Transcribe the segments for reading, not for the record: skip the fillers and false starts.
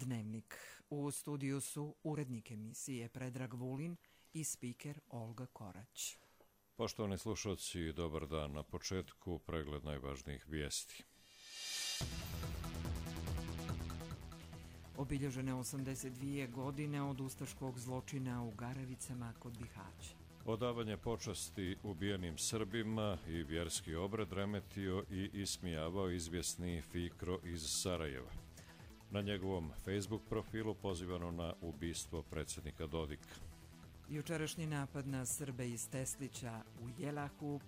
Dnevnik. U studiju su urednik emisije Predrag Vulin i spiker Olga Korać. Poštovani slušalci, dobar dan. Na početku pregled najvažnijih vijesti. Obilježene 82 godine od ustaškog zločina u Garavicama kod Bihaća. Odavanje počasti ubijenim Srbima i vjerski obred remetio i ismijavao izvjesni Fikro iz Sarajeva. Na njegovom Facebook profilu pozivano na ubistvo predsjednika Dodika. Jučerašnji napad na Srbe iz Teslića u Jelahu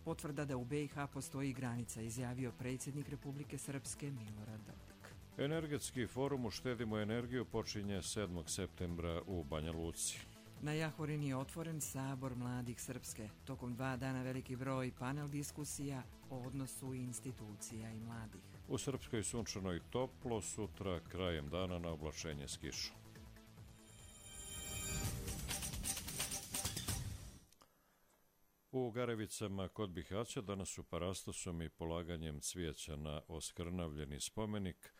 potvrda da u BiH postoji granica, izjavio predsjednik Republike Srpske Milorad Dodik. Energetski forum Uštedimo energiju počinje 7. septembra u Banja Luci. Na Jahorini je otvoren Sabor mladih Srpske. Tokom 2 dana veliki broj panel diskusija o odnosu institucija i mladih. U Srpskoj sunčano i toplo, sutra krajem dana na oblačenje s kišom. U Garevicama kod Bihaća danas su parastosom i polaganjem cvijeća na oskrnavljeni spomenik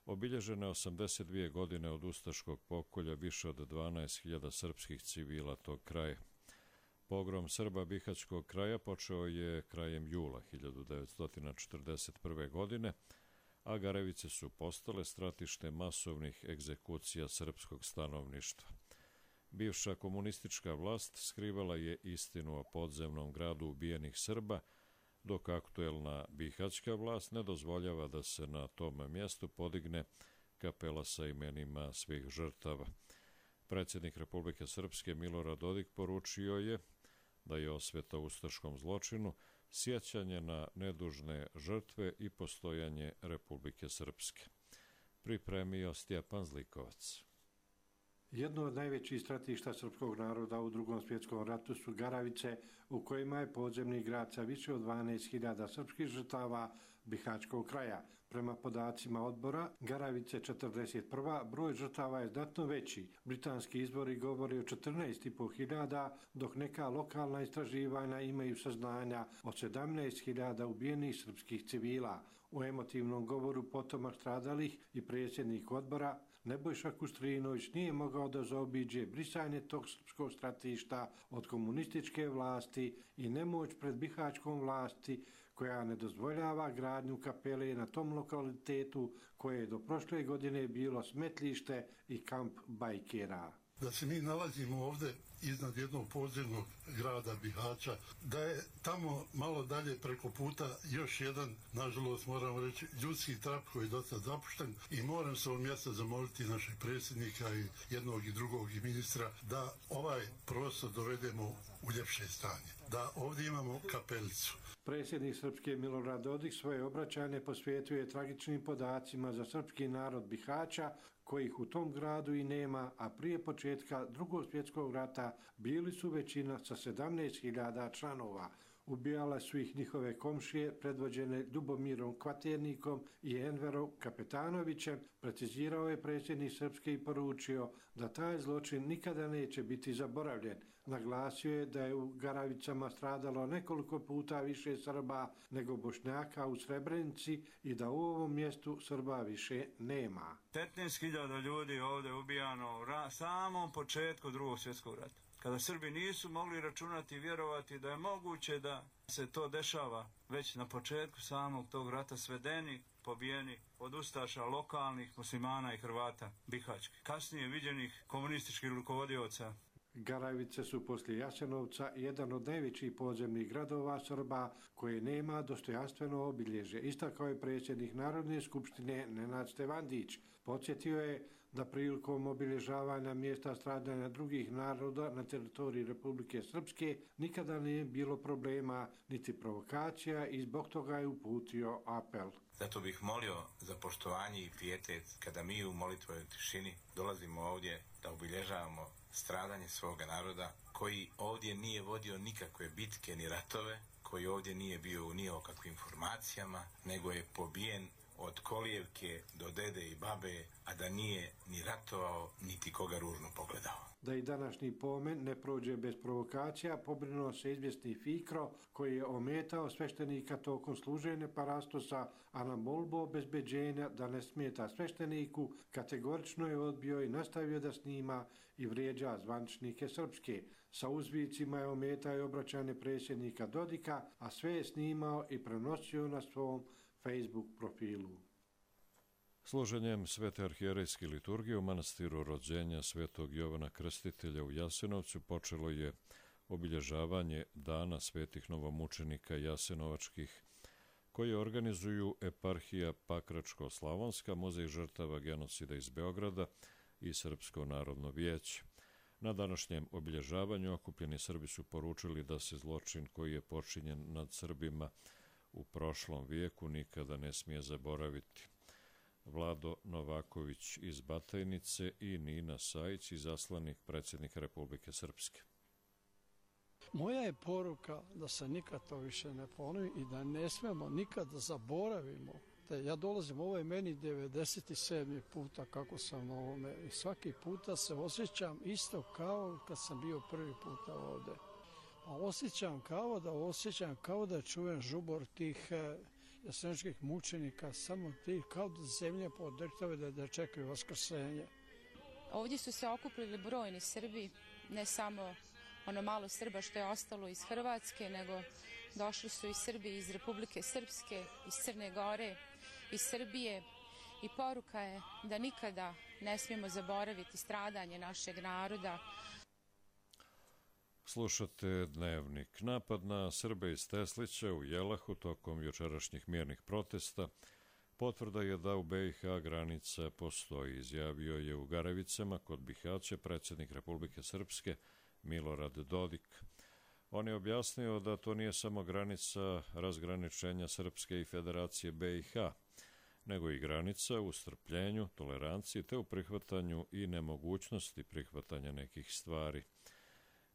obilježene 82 godine od ustaškog pokolja više od 12.000 srpskih civila tog kraja. Pogrom Srba Bihaćkog kraja počeo je krajem jula 1941. godine, a Garevice su postale stratište masovnih egzekucija srpskog stanovništva. Bivša komunistička vlast skrivala je istinu o podzemnom gradu ubijenih Srba, dok aktuelna bihaćka vlast ne dozvoljava da se na tom mjestu podigne kapela sa imenima svih žrtava. Predsjednik Republike Srpske Milorad Dodik poručio je da je osveta ustaškom zločinu sjećanje na nedužne žrtve i postojanje Republike Srpske. Pripremio Stjepan Zlikovac. Jedno od najvećih stratišta srpskog naroda u Drugom svjetskom ratu su Garavice, u kojima je podzemni grad sa više od 12.000 srpskih žrtava Bihaćkog kraja. Prema podacima odbora, Garavice 41. broj žrtava je znatno veći. Britanski izvori govore o 14.500, dok neka lokalna istraživanja imaju saznanja o 17.000 ubijenih srpskih civila. U emotivnom govoru potomak stradalih i predsjednik odbora Nebojša Kustrinović nije mogao da zaobiđe brisanje tog srpskog stratišta od komunističke vlasti i nemoć pred bihaćkom vlasti koja ne dozvoljava gradnju kapele na tom lokalitetu koje je do prošle godine bilo smetlište i kamp bajkera. Da se mi nalazimo ovdje iznad jednog podzemnog grada Bihaća, da je tamo malo dalje preko puta još jedan, nažalost moramo reći, ljudski trap koji je dosta zapušten i moram se ovog mjesta zamoliti našeg predsjednika i jednog i drugog i ministra da ovaj prostor dovedemo u ljepše stanje, da ovdje imamo kapelicu. Predsjednik Srpske Milorad Dodik svoje obraćanje posvetuje tragičnim podacima za srpski narod Bihaća, kojih u tom gradu i nema, a prije početka Drugog svjetskog rata bili su većina sa 17.000 članova. Ubijale su ih njihove komšije, predvođene Ljubomirom Kvaternikom i Enverom Kapetanovićem, precizirao je predsjednik Srpske i poručio da taj zločin nikada neće biti zaboravljen. Naglasio je da je u Garavicama stradalo nekoliko puta više Srba nego Bošnjaka u Srebrenici i da u ovom mjestu Srba više nema. 15.000 ljudi ovdje ubijano u samom početku Drugog svjetskog rata. Kada Srbi nisu mogli računati i vjerovati da je moguće da se to dešava već na početku samog tog rata, svedeni, pobijeni od ustaša lokalnih muslimana i Hrvata bihaćkih, kasnije viđenih komunističkih rukovodioca. Garavice su poslije Jasenovca jedan od najvećih podzemnih gradova Srba koje nema dostojanstveno obilježje, istakao je predsjednik Narodne skupštine Nenad Stevandić. Podsjetio je da prilikom obilježavanja mjesta stradanja drugih naroda na teritoriji Republike Srpske nikada nije bilo problema niti provokacija i zbog toga je uputio apel. Zato bih molio za poštovanje i pijetet kada mi u molitvoj tišini dolazimo ovdje da obilježavamo stradanje svoga naroda koji ovdje nije vodio nikakve bitke ni ratove, koji ovdje nije bio ni o kakvim informacijama, nego je pobijen od kolijevke do dede i babe, a da nije ni ratovao, niti koga ružno pogledao. Da i današnji pomen ne prođe bez provokacija, pobrinuo se izvjesni Fikro, koji je ometao sveštenika tokom služenja parastosa, a na molbu obezbeđenja da ne smeta svešteniku, kategorično je odbio i nastavio da snima i vrijeđa zvaničnike srpske. Sa uzvicima je ometao i obraćanje predsjednika Dodika, a sve je snimao i prenosio na svom Facebook profilu. Služenjem Svete arhijerejske liturgije u manastiru rođenja Svetog Jovana Krstitelja u Jasenovcu počelo je obilježavanje Dana svetih novomučenika jasenovačkih, koje organizuju eparhija Pakračko-Slavonska, Muzej žrtava genocida iz Beograda i Srpsko narodno vijeće. Na današnjem obilježavanju okupljeni Srbi su poručili da se zločin koji je počinjen nad Srbima u prošlom vijeku nikada ne smije zaboraviti. Vlado Novaković iz Batajnice i Nina Sajić, izaslanik predsjednika Republike Srpske. Moja je poruka da se nikad to više ne ponovi i da ne smemo nikad da zaboravimo. Ja dolazim, ovo je meni 97. puta kako sam na ovome i svaki puta se osjećam isto kao kad sam bio prvi puta ovdje. A osjećam kao da čujem žubor tih jasenovačkih mučenika, samo tih kao da zemlje podrhtave da čekaju vaskrsenje. Ovdje su se okupili brojni Srbi, ne samo ono malo Srba što je ostalo iz Hrvatske, nego došli su i Srbi iz Republike Srpske, iz Crne Gore, iz Srbije i poruka je da nikada ne smijemo zaboraviti stradanje našeg naroda. Slušate Dnevnik. Napad na Srbe iz Teslića u Jelahu tokom jučerašnjih mirnih protesta potvrda je da u BiH granica postoji, izjavio je u Garavicama kod Bihaća predsjednik Republike Srpske Milorad Dodik. On je objasnio da to nije samo granica razgraničenja Srpske i Federacije BiH, nego i granica u strpljenju, toleranciji te u prihvatanju i nemogućnosti prihvatanja nekih stvari.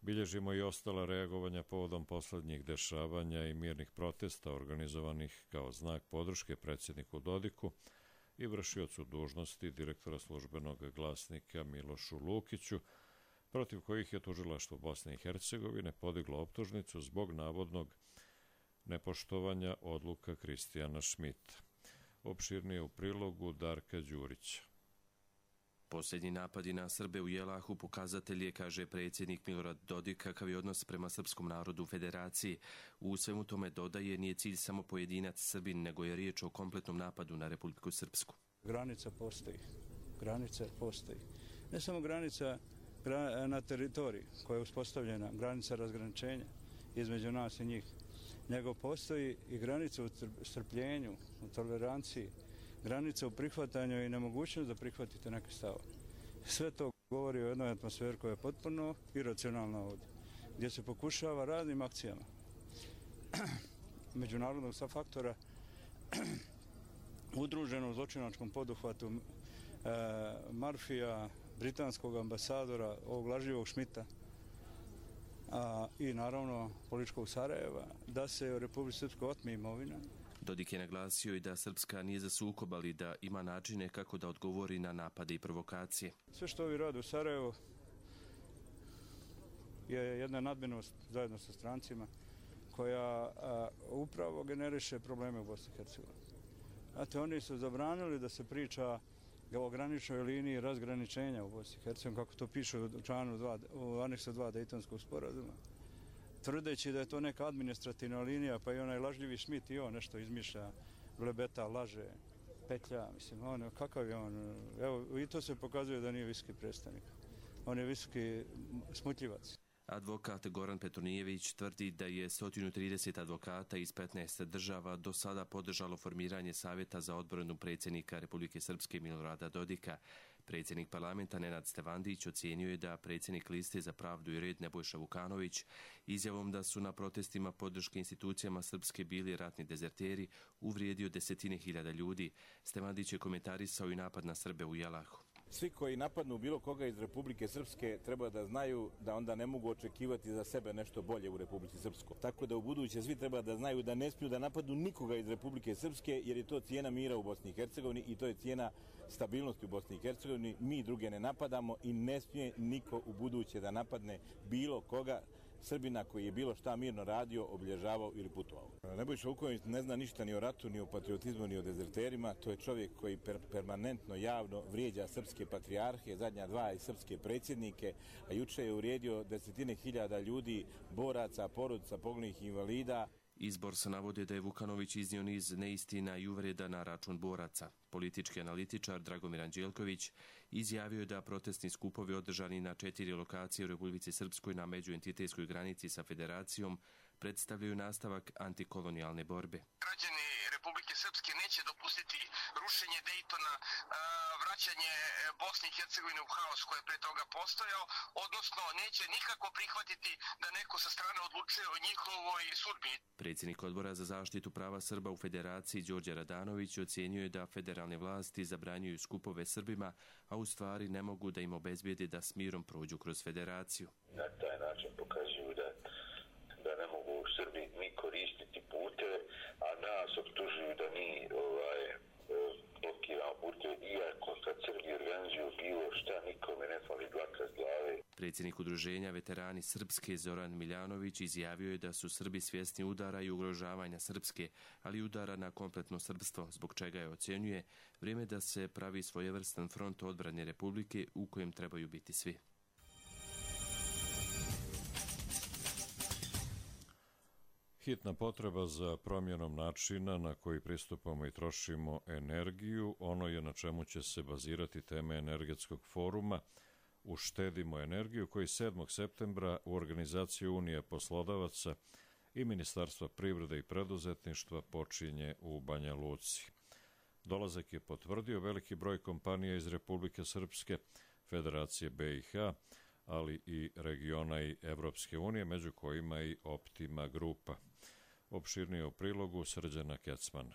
Bilježimo i ostala reagovanja povodom poslednjih dešavanja i mirnih protesta organizovanih kao znak podrške predsjedniku Dodiku i vršiocu dužnosti direktora službenog glasnika Milošu Lukiću, protiv kojih je tužilaštvo Bosne i Hercegovine podiglo optužnicu zbog navodnog nepoštovanja odluka Kristijana Šmita. Opširnije u prilogu Darka Đurića. Posljednji napadi na Srbe u Jelahu pokazatelj je, kaže predsjednik Milorad Dodik, kakav je odnos prema srpskom narodu u Federaciji. U svemu tome dodaje, nije cilj samo pojedinac Srbin, nego je riječ o kompletnom napadu na Republiku Srpsku. Granica postoji. Ne samo granica na teritoriji koja je uspostavljena, granica razgraničenja između nas i njih, nego postoji i granica u strpljenju, u toleranciji, granica u prihvatanju i nemogućnost da prihvatite neke stave. Sve to govori o jednoj atmosferi koja je potpuno iracionalna ovdje, gdje se pokušava raznim akcijama međunarodnog faktora udruženo u zločinačkom poduhvatu Marfija, britanskog ambasadora, ovog lažljivog Šmita i naravno političkog Sarajeva, da se u Republici Srpskoj otme imovina. Dodik je naglasio i da Srpska nije za sukob, ali da ima načine kako da odgovori na napade i provokacije. Sve što ovi rade u Sarajevu je jedna nadmenost zajedno sa strancima koja upravo generiše probleme u Bosni i Hercegovini. Znate, oni su zabranili da se priča o graničnoj liniji razgraničenja u Bosni i Hercegovini, kako to piše u aneksu 2 Dejtonskog sporazuma, tvrdeći da je to neka administrativna linija, pa i onaj lažljivi Šmit i on nešto izmišlja, blebeta, laže, petlja, mislim, kakav je on, evo, i to se pokazuje da nije visoki predstavnik, on je visoki smutljivac. Advokat Goran Petronijević tvrdi da je 130 advokata iz 15 država do sada podržalo formiranje Savjeta za odbranu predsjednika Republike Srpske Milorada Dodika. Predsjednik parlamenta Nenad Stevandić ocijenio je da predsjednik Liste za pravdu i red Nebojša Vukanović izjavom da su na protestima podrške institucijama Srpske bili ratni dezerteri uvrijedio desetine hiljada ljudi. Stevandić je komentarisao i napad na Srbe u Jelahu. Svi koji napadnu bilo koga iz Republike Srpske treba da znaju da onda ne mogu očekivati za sebe nešto bolje u Republici Srpskoj. Tako da u buduće svi treba da znaju da ne smiju da napadnu nikoga iz Republike Srpske, jer je to cijena mira u Bosni i Hercegovini i to je cijena stabilnosti u Bosni i Hercegovini. Mi druge ne napadamo i ne smije niko u buduće da napadne bilo koga Srbina koji je bilo šta mirno radio, obilježavao ili putovao. Nebojša Vuković ne zna ništa ni o ratu, ni o patriotizmu, ni o dezerterima. To je čovjek koji permanentno javno vrijeđa srpske patrijarhe, zadnja dva i srpske predsjednike, a juče je uvrijedio desetine hiljada ljudi, boraca, porodica, poginulih invalida. Izbor se navodi da je Vukanović iznio niz neistina i uvreda na račun boraca. Politički analitičar Dragomir Anđelković izjavio je da protestni skupovi održani na 4 lokacije u Republici Srpskoj na međuentitetskoj granici sa federacijom predstavljaju nastavak antikolonijalne borbe. Građani Republike Srpske neće dopustiti rušenje Dejtona, vraćanje Bosne i Hercegovine u haos koji je pre toga postojao, odnosno neće nikako prihvatiti da neko sa strane odlučuje o njihovoj sudbini. Predsjednik Odbora za zaštitu prava Srba u Federaciji Đorđe Radanović ocjenjuje da federalne vlasti zabranjuju skupove Srbima, a u stvari ne mogu da im obezbijede da s mirom prođu kroz federaciju. Na taj način pokazuju da ne mogu Srbi ni koristiti puteve, a nas optužuju da mi blokiramo puteve, iako kad Srbi organizuju bilo šta, nikome ne fali dlaka s glave. Predsjednik udruženja Veterani Srpske Zoran Miljanović izjavio je da su Srbi svjesni udara i ugrožavanja Srpske, ali udara na kompletno srpstvo, zbog čega je ocjenjuje vrijeme da se pravi svojevrstan front odbrane Republike u kojem trebaju biti svi. Hitna potreba za promjenom načina na koji pristupamo i trošimo energiju, ono je na čemu će se bazirati teme energetskog foruma Uštedimo energiju, koji 7. septembra u organizaciji Unije poslodavaca i Ministarstva privrede i preduzetništva počinje u Banja Luci. Dolazak je potvrdio veliki broj kompanija iz Republike Srpske, Federacije BiH, ali i regiona i Evropske unije, među kojima i Optima grupa. Opširnije u prilogu Srđana Kecmana.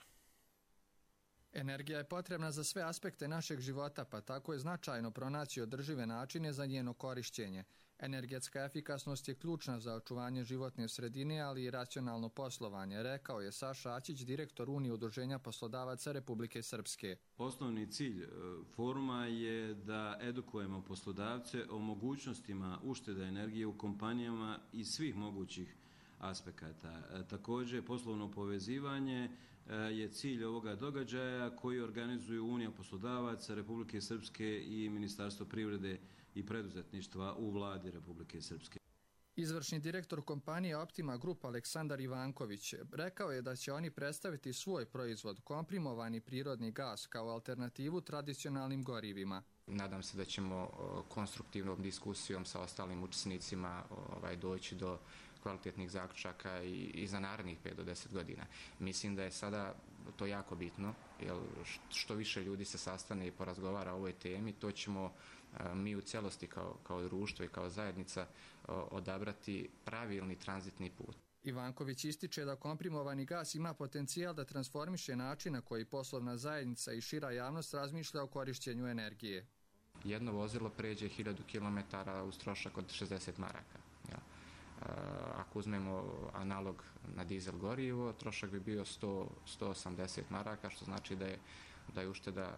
Energija je potrebna za sve aspekte našeg života, pa tako je značajno pronaći održive načine za njeno korišćenje. Energetska efikasnost je ključna za očuvanje životne sredine, ali i racionalno poslovanje, rekao je Saša Aćić, direktor Unije udruženja poslodavaca Republike Srpske. Osnovni cilj foruma je da edukujemo poslodavce o mogućnostima uštede energije u kompanijama iz svih mogućih aspekata. Također, poslovno povezivanje je cilj ovoga događaja koji organizuju Unija poslodavaca Republike Srpske i Ministarstvo privrede i preduzetništva u vladi Republike Srpske. Izvršni direktor kompanije Optima Group Aleksandar Ivanković rekao je da će oni predstaviti svoj proizvod, komprimovani prirodni gas, kao alternativu tradicionalnim gorivima. Nadam se da ćemo konstruktivnom diskusijom sa ostalim učesnicima doći do kvalitetnih zaključaka i za narednih 5 do 10 godina. Mislim da je sada to jako bitno, jer što više ljudi se sastane i porazgovara o ovoj temi, to ćemo mi u celosti kao društvo i kao zajednica odabrati pravilni tranzitni put. Ivanković ističe da komprimovani gas ima potencijal da transformiše način na koji poslovna zajednica i šira javnost razmišlja o korišćenju energije. Jedno vozilo pređe 1000 km uz trošak od 60 maraka. Ako uzmemo analog na dizel gorivo, trošak bi bio 180 maraka, što znači da je ušteda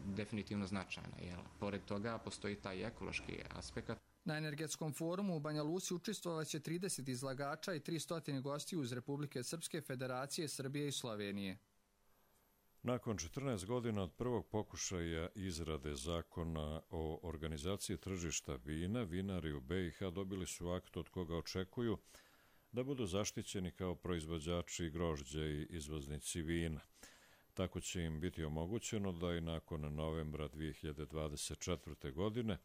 definitivno značajna. Pored toga postoji taj ekološki aspekt. Na energetskom forumu u Banja Luci učestvovaće 30 izlagača i 300 gostiju iz Republike Srpske, Federacije Srbije i Slovenije. Nakon 14 godina od prvog pokušaja izrade zakona o organizaciji tržišta vina, vinari u BiH dobili su akt od koga očekuju da budu zaštićeni kao proizvođači grožđa i izvoznici vina. Tako će im biti omogućeno da i nakon novembra 2024. godine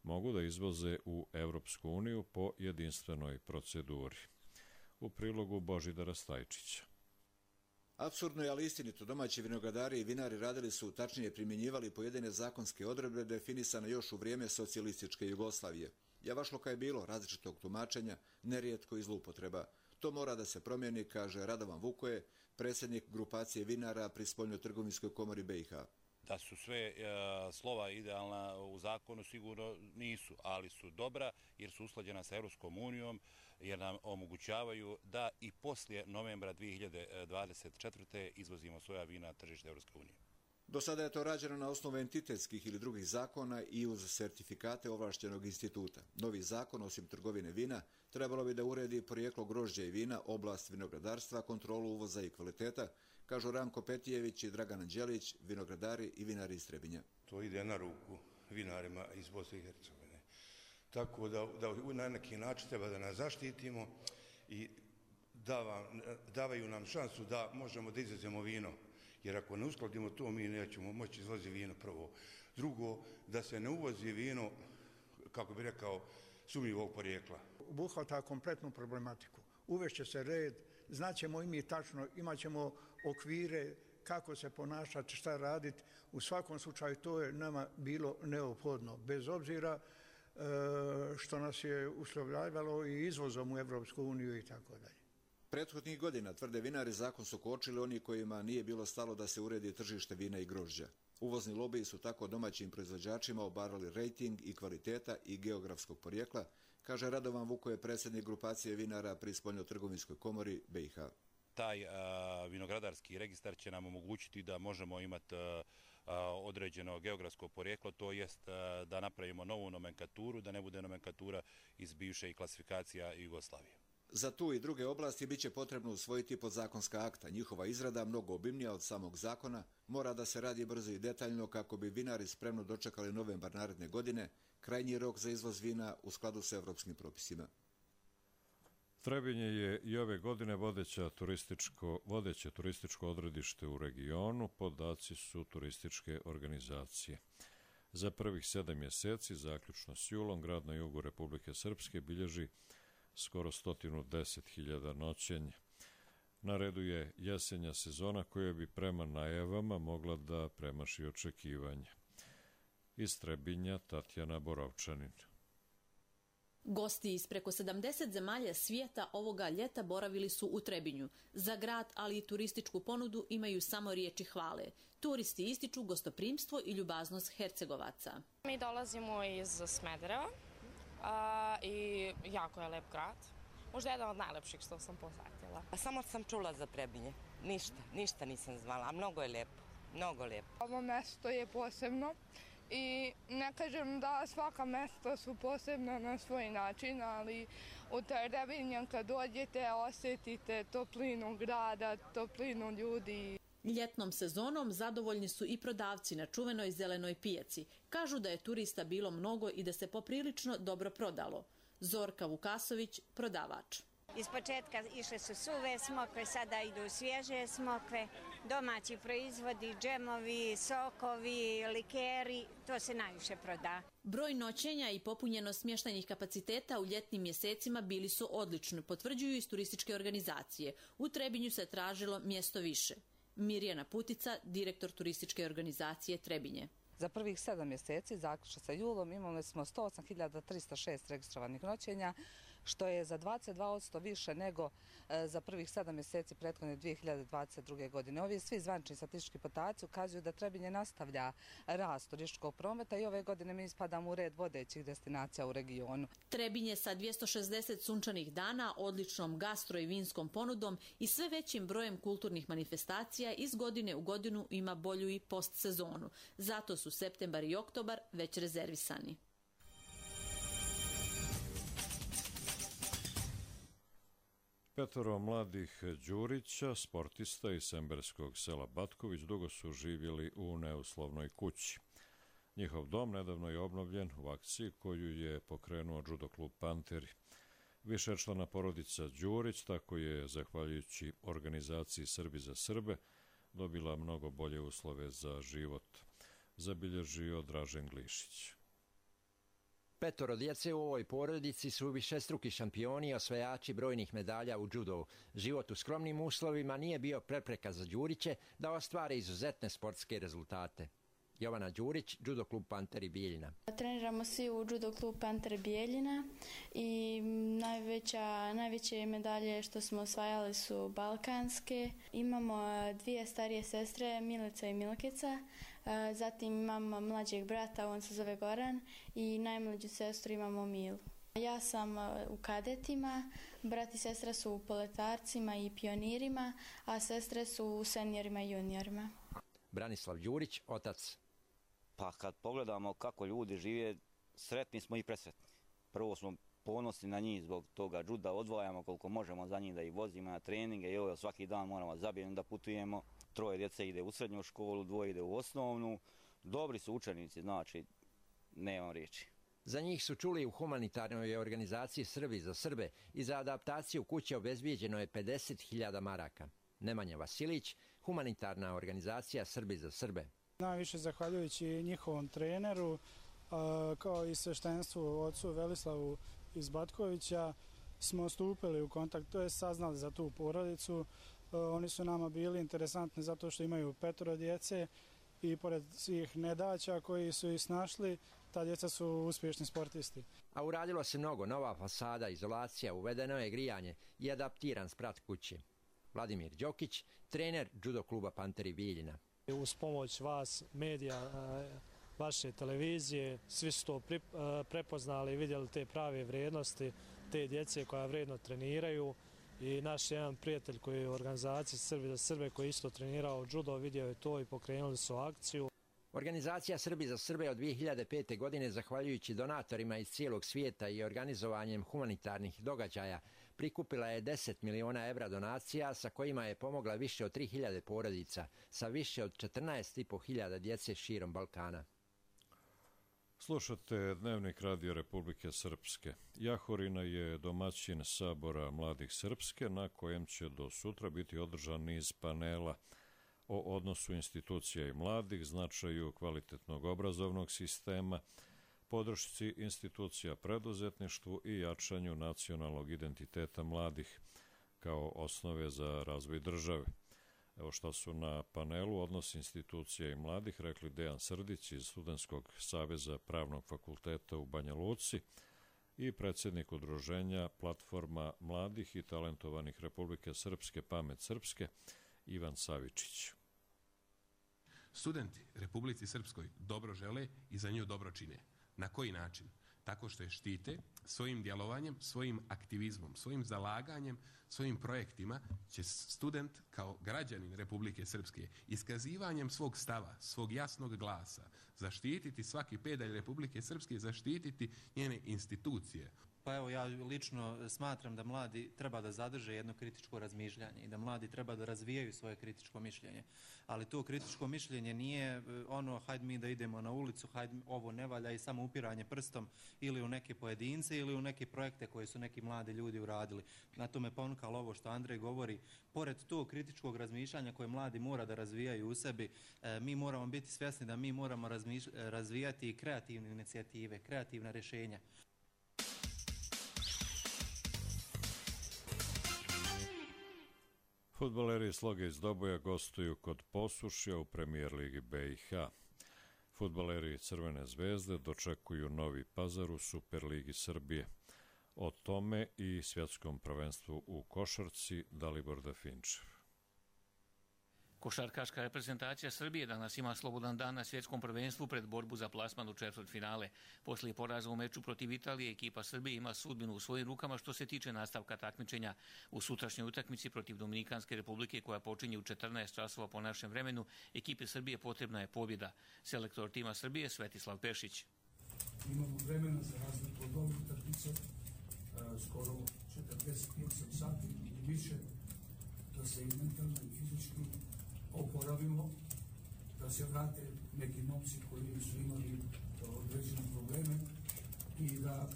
mogu da izvoze u Evropsku uniju po jedinstvenoj proceduri. U prilogu Božidara Stajčića. Apsurdno je, ali istinito, domaći vinogradari i vinari radili su, tačnije primjenjivali pojedine zakonske odredbe definisane još u vrijeme socijalističke Jugoslavije. Javašloka je bilo različitog tumačenja, nerijetko i zloupotreba. To mora da se promijeni, kaže Radovan Vukoje, predsjednik grupacije vinara pri Spoljnotrgovinskoj komori BiH. Da su sve slova idealna u zakonu, sigurno nisu, ali su dobra jer su usklađena sa Europskom unijom, jer nam omogućavaju da i poslije novembra 2024. izvozimo svoja vina na tržište Europske unije. Do sada je to rađeno na osnovu entitetskih ili drugih zakona i uz sertifikate ovlaštenog instituta. Novi zakon, osim trgovine vina, trebalo bi da uredi porijeklo grožđa i vina, oblast vinogradarstva, kontrolu uvoza i kvaliteta, kažu Ranko Petijević i Dragan Anđelić, vinogradari i vinari iz Trebinja. To ide na ruku vinarima iz Bosne i Hercegovine. Tako da na neki način treba da nas zaštitimo i davaju nam šansu da možemo da izvezemo vino. Jer ako ne uskladimo to, mi nećemo moći izvoziti vino prvo. Drugo, da se ne uvozi vino, kako bi rekao, sumnjivog porijekla. Obuhvata kompletnu problematiku. Uvešće se red, znaćemo i mi tačno, imat ćemo okvire kako se ponašati, šta raditi. U svakom slučaju to je nama bilo neophodno, bez obzira što nas je uslovljavalo i izvozom u Evropsku uniju i tako dalje. Prethodnih godina, tvrde vinari, zakon su kočili oni kojima nije bilo stalo da se uredi tržište vina i grožđa. Uvozni lobiji su tako domaćim proizvođačima obarali rejting i kvaliteta i geografskog porijekla, kaže Radovan Vukoje, predsjednik grupacije vinara pri Spoljnotrgovinskoj komori BiH. Taj vinogradarski registar će nam omogućiti da možemo imati određeno geografsko porijeklo, to jest da napravimo novu nomenklaturu, da ne bude nomenklatura iz bivše klasifikacija Jugoslavije. Za tu i druge oblasti biće potrebno usvojiti podzakonska akta. Njihova izrada, mnogo obimnija od samog zakona, mora da se radi brzo i detaljno kako bi vinari spremno dočekali novembar naredne godine, krajnji rok za izvoz vina u skladu s evropskim propisima. Trebinje je i ove godine vodeće turističko odredište u regionu, podaci su turističke organizacije. Za prvih 7 mjeseci, zaključno s julom, grad na jugu Republike Srpske bilježi skoro 110.000 noćenja. Na redu je jesenja sezona koja bi prema najavama mogla da premaši očekivanja. Iz Trebinja Tatjana Borovčanin. Gosti iz preko 70 zemalja svijeta ovoga ljeta boravili su u Trebinju. Za grad, ali i turističku ponudu imaju samo riječi hvale. Turisti ističu gostoprimstvo i ljubaznost Hercegovaca. Mi dolazimo iz Smedereva i jako je lep grad. Možda jedan od najlepših što sam posjetila. Samo sam čula za Trebinje. Ništa nisam znala, a mnogo je lijepo. Mnogo lijepo. Ovo mjesto je posebno. I ne kažem da svaka mjesta su posebna na svoj način, ali u Trebinju kad dođete osjetite toplinu grada, toplinu ljudi. Ljetnom sezonom zadovoljni su i prodavci na čuvenoj zelenoj pijaci. Kažu da je turista bilo mnogo i da se poprilično dobro prodalo. Zorka Vukasović, prodavač. Iz početka išle su suve smokve, sada idu svježe smokve, domaći proizvodi, džemovi, sokovi, likeri, to se najviše proda. Broj noćenja i popunjenost smještajnih kapaciteta u ljetnim mjesecima bili su odlični, potvrđuju iz turističke organizacije. U Trebinju se tražilo mjesto više. Mirjana Putica, direktor turističke organizacije Trebinje. Za prvih 7 mjeseci, zaključno sa julom, imali smo 108.306 registrovanih noćenja, što je za 22% više nego za prvih 7 mjeseci prethodne 2022. godine. Ovi svi zvanični statistički podaci ukazuju da Trebinje nastavlja rast turističkog prometa i ove godine mi ispadamo u red vodećih destinacija u regionu. Trebinje sa 260 sunčanih dana, odličnom gastro i vinskom ponudom i sve većim brojem kulturnih manifestacija iz godine u godinu ima bolju i postsezonu. Zato su septembar i oktobar već rezervisani. Petoro mladih Đurića, sportista iz semberskog sela Batković, dugo su živjeli u neuslovnoj kući. Njihov dom nedavno je obnovljen u akciji koju je pokrenuo judo klub Panteri. Višečlana porodica Đurić, tako je, zahvaljujući organizaciji Srbi za Srbe, dobila mnogo bolje uslove za život, zabilježio Dražen Glišić. Petoro djece u ovoj porodici su višestruki šampioni i osvajači brojnih medalja u judovu. Život u skromnim uslovima nije bio prepreka za Đuriće da ostvare izuzetne sportske rezultate. Jovana Đurić, judo klub Panteri Bijeljina. Treniramo svi u judo klub Pantere Bijeljina i najveće medalje što smo osvajali su balkanske. Imamo 2 starije sestre, Milica i Milkica. Zatim imamo mlađeg brata, on se zove Goran, i najmlađu sestru imamo Milu. Ja sam u kadetima, brat i sestra su u poletarcima i pionirima, a sestre su u seniorima i juniorima. Branislav Đurić, otac. Pa kad pogledamo kako ljudi žive, sretni smo i presretni. Prvo smo ponosni na njih zbog toga juda, odvajamo koliko možemo za njih da ih vozimo na treninge i evo svaki dan moramo zabijeno da putujemo. 3 djece ide u srednju školu, 2 ide u osnovnu. Dobri su učenici, znači nemam riječi. Za njih su čuli u humanitarnoj organizaciji Srbi za Srbe i za adaptaciju kuće obezbijeđeno je 50.000 maraka. Nemanja Vasilić, humanitarna organizacija Srbi za Srbe. Najviše zahvaljujući njihovom treneru, kao i sveštenstvu ocu Velislavu iz Batkovića, smo stupili u kontakt, to je saznali za tu porodicu. Oni su nama bili interesantni zato što imaju 5 djece i pored svih nedaća koji su ih snašli, ta djeca su uspješni sportisti. A uradilo se mnogo, nova fasada, izolacija, uvedeno je grijanje i adaptiran sprat kući. Vladimir Đokić, trener judo kluba Panteri Bijeljina. Uz pomoć vas, medija, vaše televizije, svi su to prepoznali i vidjeli te prave vrijednosti, te djece koja vredno treniraju. I naš jedan prijatelj koji je u organizaciji Srbi za Srbe koji isto trenirao judo, vidio je to i pokrenuli su akciju. Organizacija Srbi za Srbe od 2005. godine, zahvaljujući donatorima iz cijelog svijeta i organizovanjem humanitarnih događaja, prikupila je 10 miliona evra donacija sa kojima je pomogla više od 3.000 porodica sa više od 14.500 djece širom Balkana. Slušate Dnevnik Radio Republike Srpske. Jahorina je domaćin Sabora mladih Srpske, na kojem će do sutra biti održan niz panela o odnosu institucija i mladih, značaju kvalitetnog obrazovnog sistema, podršci institucija preduzetništvu i jačanju nacionalnog identiteta mladih kao osnove za razvoj države. Evo šta su na panelu odnos institucija i mladih rekli Dejan Srdić iz Studentskog saveza Pravnog fakulteta u Banja Luci i predsjednik udruženja Platforma mladih i talentovanih Republike Srpske Pamet Srpske Ivan Savičić. Studenti Republici Srpskoj dobro žele i za nju dobro čine. Na koji način? Tako što je štite svojim djelovanjem, svojim aktivizmom, svojim zalaganjem, svojim projektima će student kao građanin Republike Srpske iskazivanjem svog stava, svog jasnog glasa, zaštititi svaki pedalj Republike Srpske, zaštititi njene institucije. Pa evo, ja lično smatram da mladi treba da zadrže jedno kritičko razmišljanje i da mladi treba da razvijaju svoje kritičko mišljenje. Ali to kritičko mišljenje nije ono hajde mi da idemo na ulicu, hajde ovo ne valja i samo upiranje prstom ili u neke pojedince ili u neke projekte koje su neki mladi ljudi uradili. Na to me ponukalo ovo što Andrej govori. Pored tog kritičkog razmišljanja koje mladi mora da razvijaju u sebi, mi moramo biti svjesni da mi moramo razvijati i kreativne inicijative, kreativna rješenja. Fudbaleri Sloge iz Doboja gostuju kod Posušja u Premijer ligi BiH. Fudbaleri Crvene zvezde dočekuju Novi Pazar u Superligi Srbije. O tome i svjetskom prvenstvu u košarci Dalibor Dafinčev. Košarkaška reprezentacija Srbije danas ima slobodan dan na svjetskom prvenstvu pred borbu za plasman u četvrtfinale. Poslije poraza u meču protiv Italije, ekipa Srbije ima sudbinu u svojim rukama što se tiče nastavka takmičenja. U sutrašnjoj utakmici protiv Dominikanske republike koja počinje u 14 časova po našem vremenu, ekipi Srbije potrebna je pobjeda. Selektor tima Srbije Svetislav Pešić. Imamo vremena za razliku od ovih utakmica, skoro 48 sati i više, da se i mentalno i fizički oporavimo, da se vrate neki momci koji su imali određene probleme i da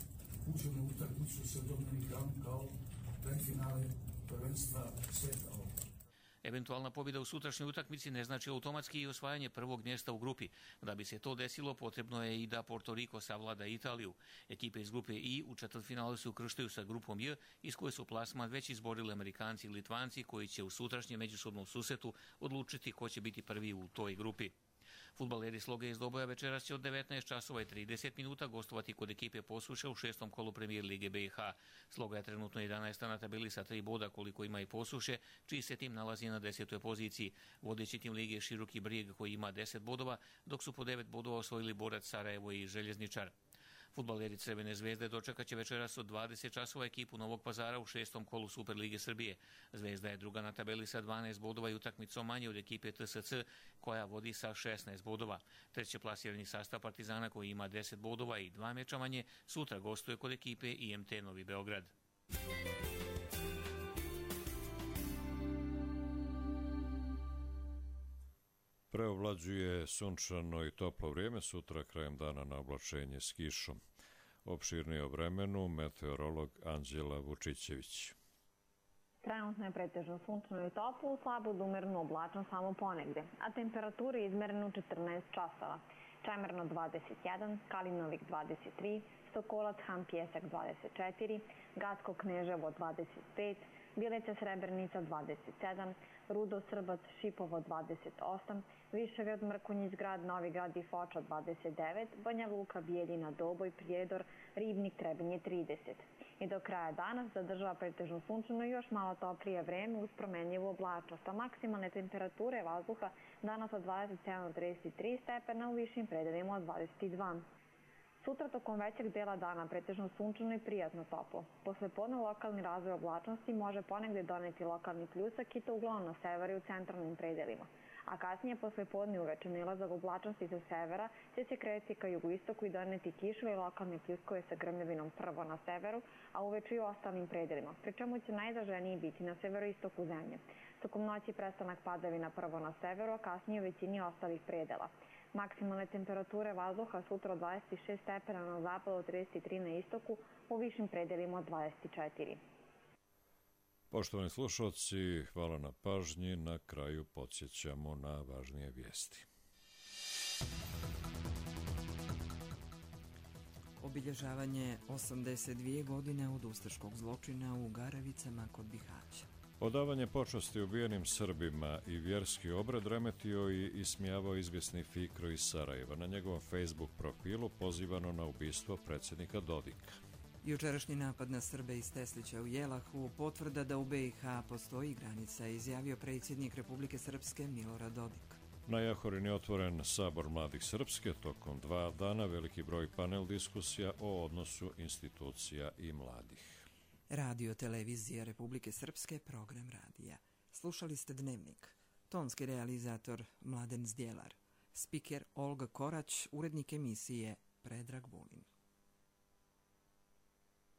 uđemo u utakmicu sa Dominikanom kao predfinale prvenstva sveta. Eventualna pobjeda u sutrašnjoj utakmici ne znači automatski i osvajanje prvog mjesta u grupi. Da bi se to desilo, potrebno je i da Porto Riko savlada Italiju. Ekipe iz grupe I u četvrtfinalu se ukrštaju sa grupom J, iz koje su plasman već izborili Amerikanci i Litvanci, koji će u sutrašnjem međusobnom susretu odlučiti ko će biti prvi u toj grupi. Fudbaleri Sloge iz Doboja večeras će od 19 časova i 30 minuta gostovati kod ekipe Posuše u 6. kolu Premijer Lige BiH. Sloga je trenutno 11. na tabeli sa 3 boda koliko ima i Posuše, čiji se tim nalazi na 10. poziciji. Vodeći tim lige je Široki Brijeg koji ima 10 bodova, dok su po 9 bodova osvojili Borac Sarajevo i Željezničar. Fudbaleri Crvene zvezde dočekat će večeras od 20 časova ekipu Novog Pazara u 6. kolu Superlige Srbije. Zvezda je druga na tabeli sa 12 bodova i utakmicom manje od ekipe TSC koja vodi sa 16 bodova. Treće plasirani sastav Partizana koji ima 10 bodova i 2 meča manje sutra gostuje kod ekipe IMT Novi Beograd. Preovlađuje sunčano i toplo vrijeme, sutra krajem dana na oblačenje s kišom. Opširnije o vremenu meteorolog Anđela Vučićević. Trenutno je pretežno sunčano i toplo, slabo do umereno oblačno samo ponegde, a temperatura je izmerena u 14 časova. Čemerno 21, Kalinovik 23, Sokolac, Han Pjesak 24, Gatsko Kneževo 25, Bileća Srebrenica 27, Rudo Srbac Šipovo 28, Višegrad Mrkonjić Grad, Novi Grad i Foča 29, Banja Luka, Bijeljina, Doboj, Prijedor, Ribnik, Trebinje 30. I do kraja dana zadržava pretežno sunčano i još malo toplije vreme uz promenljivu oblačnost, a maksimalne temperature vazduha danas od 27 do 33 stepena, u višim predelima od 22. Sutra tokom većeg dela dana pretežno sunčano i prijatno toplo. Posle podne lokalni razvoj oblačnosti može ponegde doneti lokalni pljusak i to uglavnom na severu i u centralnim predelima. A kasnije posle podne uveče nalazak oblačnosti sa severa će se kretati ka jugoistoku i doneti kišu i lokalne pljuskove sa grmljavinom prvo na severu, a uveče i u ostalim predelima, pri čemu će najizraženiji biti na severoistoku zemlje. Tokom noći prestanak padavina prvo na severu, a kasnije u većini ostalih predela. Maksimalne temperature vazduha sutra od 26 stepena na zapadu, 33 na istoku, u višim predelima od 24. Poštovani slušalci, hvala na pažnji. Na kraju podsjećamo na važnije vijesti. Obilježavanje 82 godine od ustaškog zločina u Garavicama kod Bihaća. Odavanje počasti ubijenim Srbima i vjerski obrad remetio i ismijavao izvjesni Fikro iz Sarajeva. Na njegovom Facebook profilu pozivano na ubistvo predsjednika Dodika. Jučerašnji napad na Srbe iz Teslića u Jelahu potvrda da u BiH postoji granica, izjavio predsjednik Republike Srpske Milorad Dodik. Na Jahorini je otvoren Sabor mladih Srpske. Tokom 2 dana veliki broj panel diskusija o odnosu institucija i mladih. Radio Televizija Republike Srpske, program radija. Slušali ste Dnevnik. Tonski realizator Mladen Zdjelar. Spiker Olga Korać, urednik emisije Predrag Vulin.